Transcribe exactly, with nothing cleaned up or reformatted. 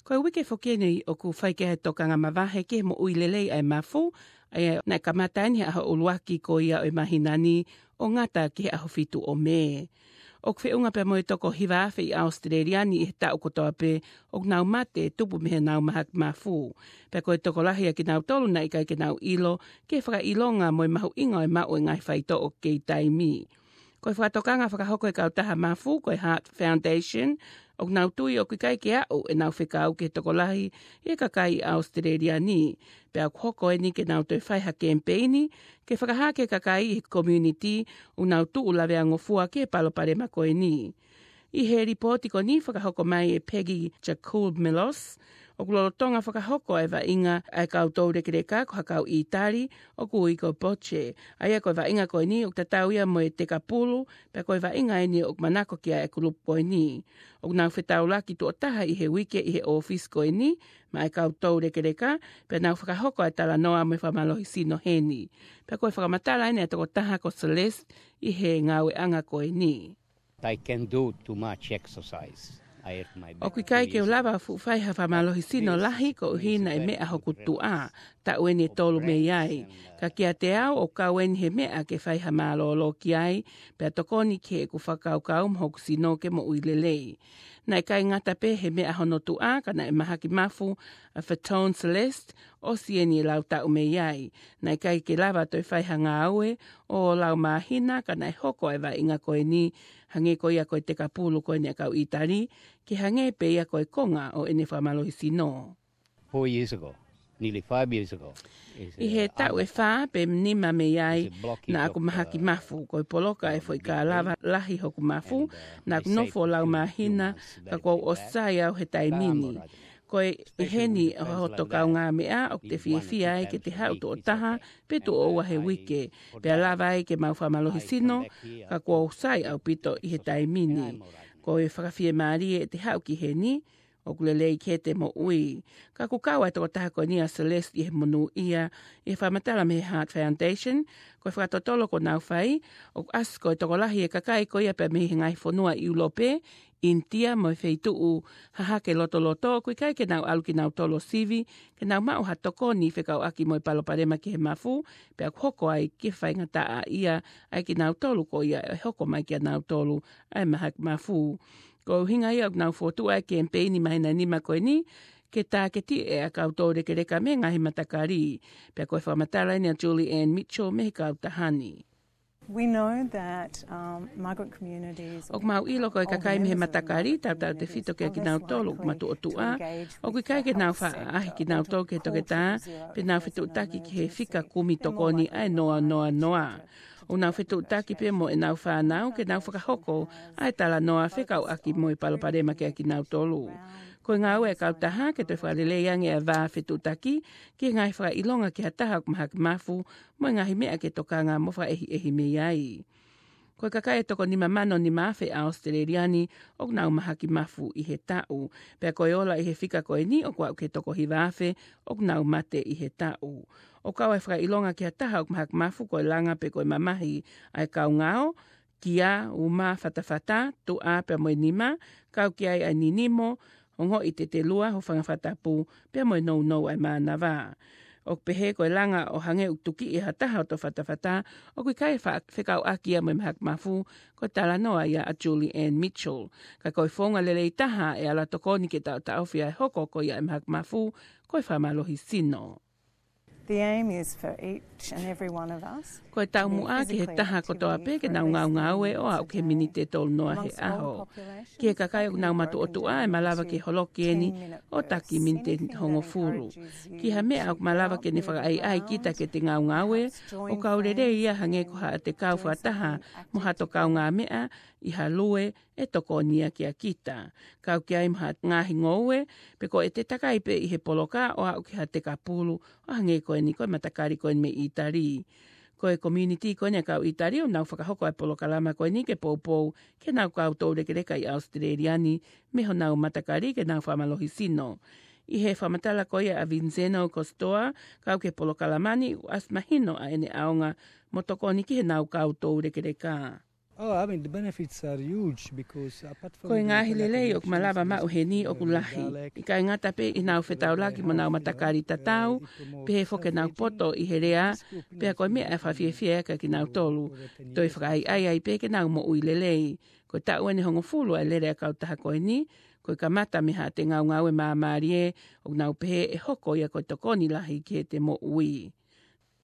Ko e uike foki eni ʻoku fai ki ai e tokanga mavahe ki he moʻui lelei ʻa e mafu, ʻa ia naʻe kamata eni he ʻaho ʻuluaki ko ia ʻo e māhina ni ʻo ngata ki he ʻaho fitu ʻo Mē. ʻOku feʻunga pea mo e toko hiva afe ʻi ʻAositelēlia ni ʻi he taʻu kotoa pē ʻoku nau mate tupu mei heʻenau mahaki mafu. Pea ko e tokolahi ʻa kinautolu naʻe ʻikai ke nau ʻilo ki he fakaʻilonga mo e mahuʻinga ʻo e maʻu e ngaahi faitoʻo kei taimi. Ko e fakatokanga fakahoko e kautaha mafu, ko e Heart Foundation, ʻoku nau tui ʻoku ʻikai ke aʻu ʻenau fekau ki he tokolahi ʻi he kakai ʻi ʻAositelēlia ni. Pea ʻoku hoko eni ke nau toe fai ha kemipeini, ke fakahā ki he kakai ʻi he community ʻoku nau tuʻu laveangofua ki he palopalema ko eni. ʻI he lipooti ko eni fakahoko mai ʻe Peggy Jakul Melos, ʻoku lolotonga fakahoko e vaʻinga ʻa e kau toulekeleka ko ha kau ʻĪtali, ʻoku ui ko Boce. ʻA ia ko e vaʻinga ko eni ʻoku tatau ia mo e tekapulu, pea ko e vaʻinga eni ʻoku manako ki ai e kulupu ko eni. ʻOku nau fetaulaki tuʻo taha ʻi he uike ʻi he ʻōfisi ko eni, maʻa e kau toulekeleka, pea nau fakahoko e talanoa mo e fakamālohisino heni. Pea ko e fakamatala eni ʻa e tokotaha ko Celeste ʻi he ngāueʻanga ko eni. I can do too much exercise. I hurt my back. ʻOku ʻikai ke u lava fuʻu fai ha fakamālohisino lahi koeʻuhi naʻe meʻa hoku tuʻa, taʻu eni ʻe tolu mei ai. Ka kiate au ʻoku kau eni he meʻa ke fai ha mālōlō ki ai, pea tokoni ki heʻeku fakakaukau mo hoku sino ke moʻui lelei. Naʻe ʻikai ngata pē he meʻa hono tuʻa, ka naʻe mahaki mafu ʻa Fatone Celeste, ʻosi eni e lau taʻu mei ai. Naʻe ʻikai ke lava toe fai ha ngāue ʻo lau māhina, ka naʻe hoko e vaʻinga ko eni, hangē ko ia ko e tekapulu ko eni ʻa e kau ʻĪtali, ke hangē pē ia ko e konga ʻo ʻene fakamālohisino. Four years ago, nearly five years ago. ʻI he taʻu ʻe fā pe nima mei ai, naʻa ku mahaki mafu, ko e poloka e foʻi kālava lahi hoku mafu, naʻa ku nofo lau māhina, ka kuo u ʻosi sai au he taimi ni. Ko e ʻi heni ʻa hoto kaungāmeʻa ʻoku te fiefia ai ke te haʻu tuʻo taha pe tuʻo ua he uike, pea lava ai ke mau fakamālohisino, ka kuo u sai ʻaupito ʻi he taimi ni. Ko e fakafiemālie ʻete haʻu ki heni, ʻoku lelei ki heʻete moʻui. Ka ʻoku kau ʻa e tokotaha ko eni ʻa Celeste ʻi he monūʻia, ʻi he fakamatala mei he Heart Foundation, ko e fakatotolo kuo nau fai, ʻoku ʻasi ko e tokolahi e kakai ko ia pea mei he ngaahi fonua ʻIulope, ʻInitia mo e feituʻu hahake lotoloto, ʻoku ʻikai ke nau ʻalu kinautolu ʻo sivi, ke nau maʻu ha tokoni fekauʻaki mo e palopalema ki he mafu, pea ʻoku hoko ai ke faingataʻaʻia ai kinautolu ko ia ʻe hoko mai kia nautolu ʻa e mahaki mafu. Ko e ʻuhinga ia ʻoku nau fokotuʻu ʻa e kemipeini māhina ʻe nima ko eni, ke tāketiʻi ʻa e kau toulekeleka mei he ngaahi matakali. Pea ko e fakamatala eni ʻa Julie Ann Mitchell mei he kautaha ni. We know that, um, migrant communities or ʻOku mau ʻilo ko e kakai mei he matakali, tautautefito kia kinautolu ʻoku matuʻotuʻa, ʻoku ʻikai ke nau faʻa ʻaʻahi kinautolu ki he toketā, pe nau fetuʻutaki ki he fika kumi tokoni ʻa e noa noa noa. ʻOku nau fetuʻutaki pē mo ʻenau fānau ke nau fakahoko ʻa e talanoa fekauʻaki mo e palopalema kia kinautolu. Ko e ngāue ʻa e kautaha ke toe fakalelei ange ʻa e vā fetuʻutaki ki he ngaahi fakaʻilonga ki ha taha ʻoku mahaki mafu mo e ngaahi meʻa ke tokanga mo fakaʻehiʻehi mei ai. Ko e kakai ʻe toko nima mano nima afe ʻa ʻAositelēlia ni ʻoku nau mahaki mafu ʻi he taʻu. Pea ko e ola ʻi he fika ko eni ʻoku aʻu ki he toko hiva afe ʻoku nau mate ʻi he taʻu. ʻOku kau ʻa e fakaʻilonga ki ha taha ʻoku mahaki mafu ko e langa pe ko e mamahi ʻa e kaungao, kia, uma, fatafata, tuʻa pea mo e nima, kau ki ai ʻa e ninimo, ongoʻi tetelua, hūfanga fakatapu, pea mo e nounou ʻa e mānava. ʻOku pehē ko e langa ʻo hangē ʻoku tukiʻi ʻe ha taha hoto fatafata, ʻoku ʻikai fa-, fekauʻaki ia mo e mahaki mafu, ko e talanoa ia ʻa Julie Ann Mitchell. Ka ko e founga lelei taha ʻe ala tokoni ke taʻotaʻofi ʻa e hoko ko ia ʻa e mahaki mafu, ko e fakamālohisino. The aim is for each and every one of us Ko e taumuʻa ki he taha kotoa pē ke nau ngaungaue ʻo aʻu ki he miniti ʻe tolu noa he ʻaho. Ki he kakai ʻoku nau matuʻotuʻa ʻe malava ke holoki eni ʻo taki miniti ʻe hongofulu. Ki ha meʻa ʻoku malava ke ne fakaʻaiʻai kita ke te ngaungaue, ʻoku kau lelei ia hangē ko haʻate kau fakataha mo hato kaungāmeʻa ʻi ha lue ʻe tokoni ia kia kita. Kau ki ai mo ha ngaahi ngoue, pe ko ʻete takai pē ʻi he poloka ʻo aʻu ki ha tekapulu, ʻo hangē ko eni ko e matakali ko eni mei ʻĪtali. Ko e community ko eni ʻa e kau ʻĪtali ʻoku nau fakahoko ʻa e polokalama ko eni ke poupou ki heʻenau kau toulekeleka ʻi ʻAositelēlia ni mei honau matakali ke nau fakamālohisino. ʻI he fakamatala ko ia ʻa Vincenzo Costoa, kau ki he polokalama ni, ʻoku ʻasi mahino ʻa ʻene ʻaonga mo tokoni ki heʻenau kau toulekeleka. Oh, I mean, the benefits are huge because apart from Ko e ngaahi lelei ʻoku malava maʻu heni ʻoku lahi. ʻIkai ngata pē ʻi heʻenau fetaulaki mo ʻenau matakali tatau, pehē foki ʻenau poto ʻi he lea, pea ko e meʻa ʻe fakafiefia ʻaki kinautolu. Toe fakaʻaiʻai ai pē ke nau moʻui lelei. Ko e taʻu ʻeni ʻe hongofulu ʻa e lele ʻa e kautaha ko eni, ko e kamata mei haʻate ngaungaue māmālie, ʻoku nau pehē ʻe hoko ia ko e tokoni lahi ki heʻete moʻui.